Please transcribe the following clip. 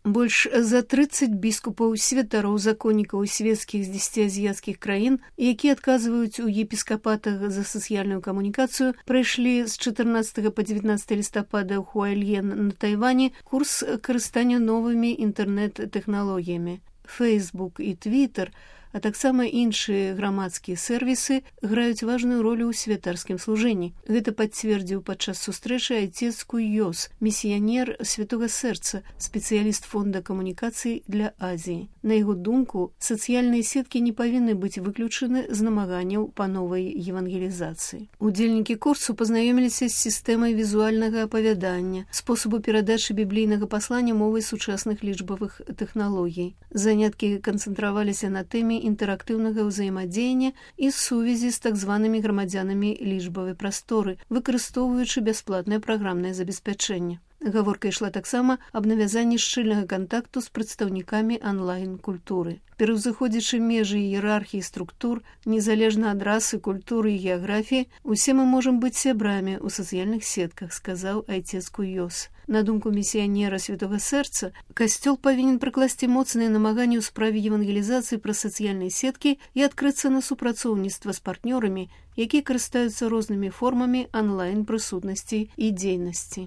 Больш за 30 біскупаў, святароў, законнікаў і свецкіх з 10 азіяцкіх краін, якія адказваюць у епіскапатах за сацыяльную камунікацыю, прайшлі з 14 па 19 лістапада ў Хуайльен на Тайвані курс карыстання новымі інтэрнэт-тэхналогіямі. Facebook і Twitter, а таксама іншыя грамадскія сервісы граюць важную ролю ў святарскім служэнні. Гэта пацвердзіў падчас сустрэчы айцец Куйёс, місіянер Святога Сэрца, спецыяліст фонда камунікацый для Азіі. На яго думку, сацыяльныя сеткі не павінны быць выключаны з намаганняў па новай евангелізацыі. Удзельнікі курсу пазнаёміліся з сістэмай візуальнага апавядання, спосабу перадачы біблійнага паслання мовай сучасных лічбавых тэхналогій. Заняткі канцэнтраваліся на тэме інтэрактыўнага ўзаемадзеяння і сувязі з так званымі грамадзянамі лічбавай прасторы, выкарыстоўваючы бясплатнае праграмнае забеспячэнне. Гаворка ішла таксама аб навязанні шчыльнага кантакту з прадстаўнікамі онлайн-культуры. Пераўзыходзячы межы іерархіі структур, незалежна ад расы, культуры і геаграфіі, усе мы можам быць сябрамі ў сацыяльных сетках, сказаў айцец Куйёс. На думку місіянера Святога Сэрца, касцёл павінен прыкласці моцныя намаганні ў справе евангелізацыі праз сацыяльныя сеткі і адкрыцца на супрацоўніцтва з партнёрамі, якія карыстаюцца рознымі формамі онлайн-прысутнасці і дзейнасці.